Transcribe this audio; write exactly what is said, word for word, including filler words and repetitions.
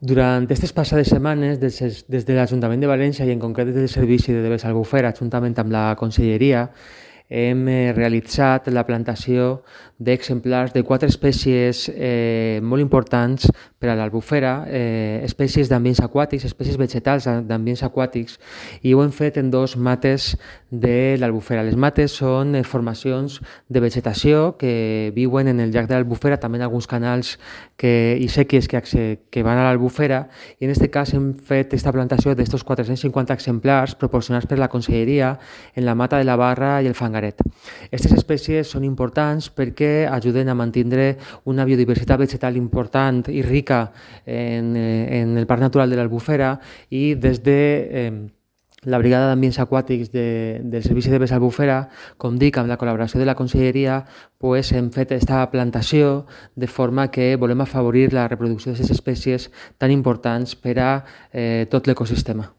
Durant aquestes passades setmanes, des, des de l'Ajuntament de València i en concret des del Servici de Bes Albufera, juntament amb la Conselleria, hem eh, realitzat la plantació d'exemplars de quatre espècies eh, molt importants per a l'albufera, eh, espècies d'ambients aquàtics, espècies vegetals d'ambients aquàtics, i ho hem fet en dos mates de l'albufera. Les mates són eh, formacions de vegetació que viuen en el llac de l'Albufera, també en alguns canals que, i sèquies que, que van a l'Albufera, i en aquest cas hem fet aquesta plantació d'estos quatre-cents cinquanta exemplars proporcionats per la Conselleria en la mata de la Barra i el Fangaret. Aquestes espècies són importants perquè ajuden a mantenir una biodiversitat vegetal important i rica en, en el Parc Natural de l'Albufera, i des de eh, la Brigada d'Ambients Aquàtics de, del Servici de Bes Albufera, com dic, amb la col·laboració de la Conselleria, pues, hem fet aquesta plantació de forma que volem afavorir la reproducció d'aquestes espècies tan importants per a eh, tot l'ecosistema.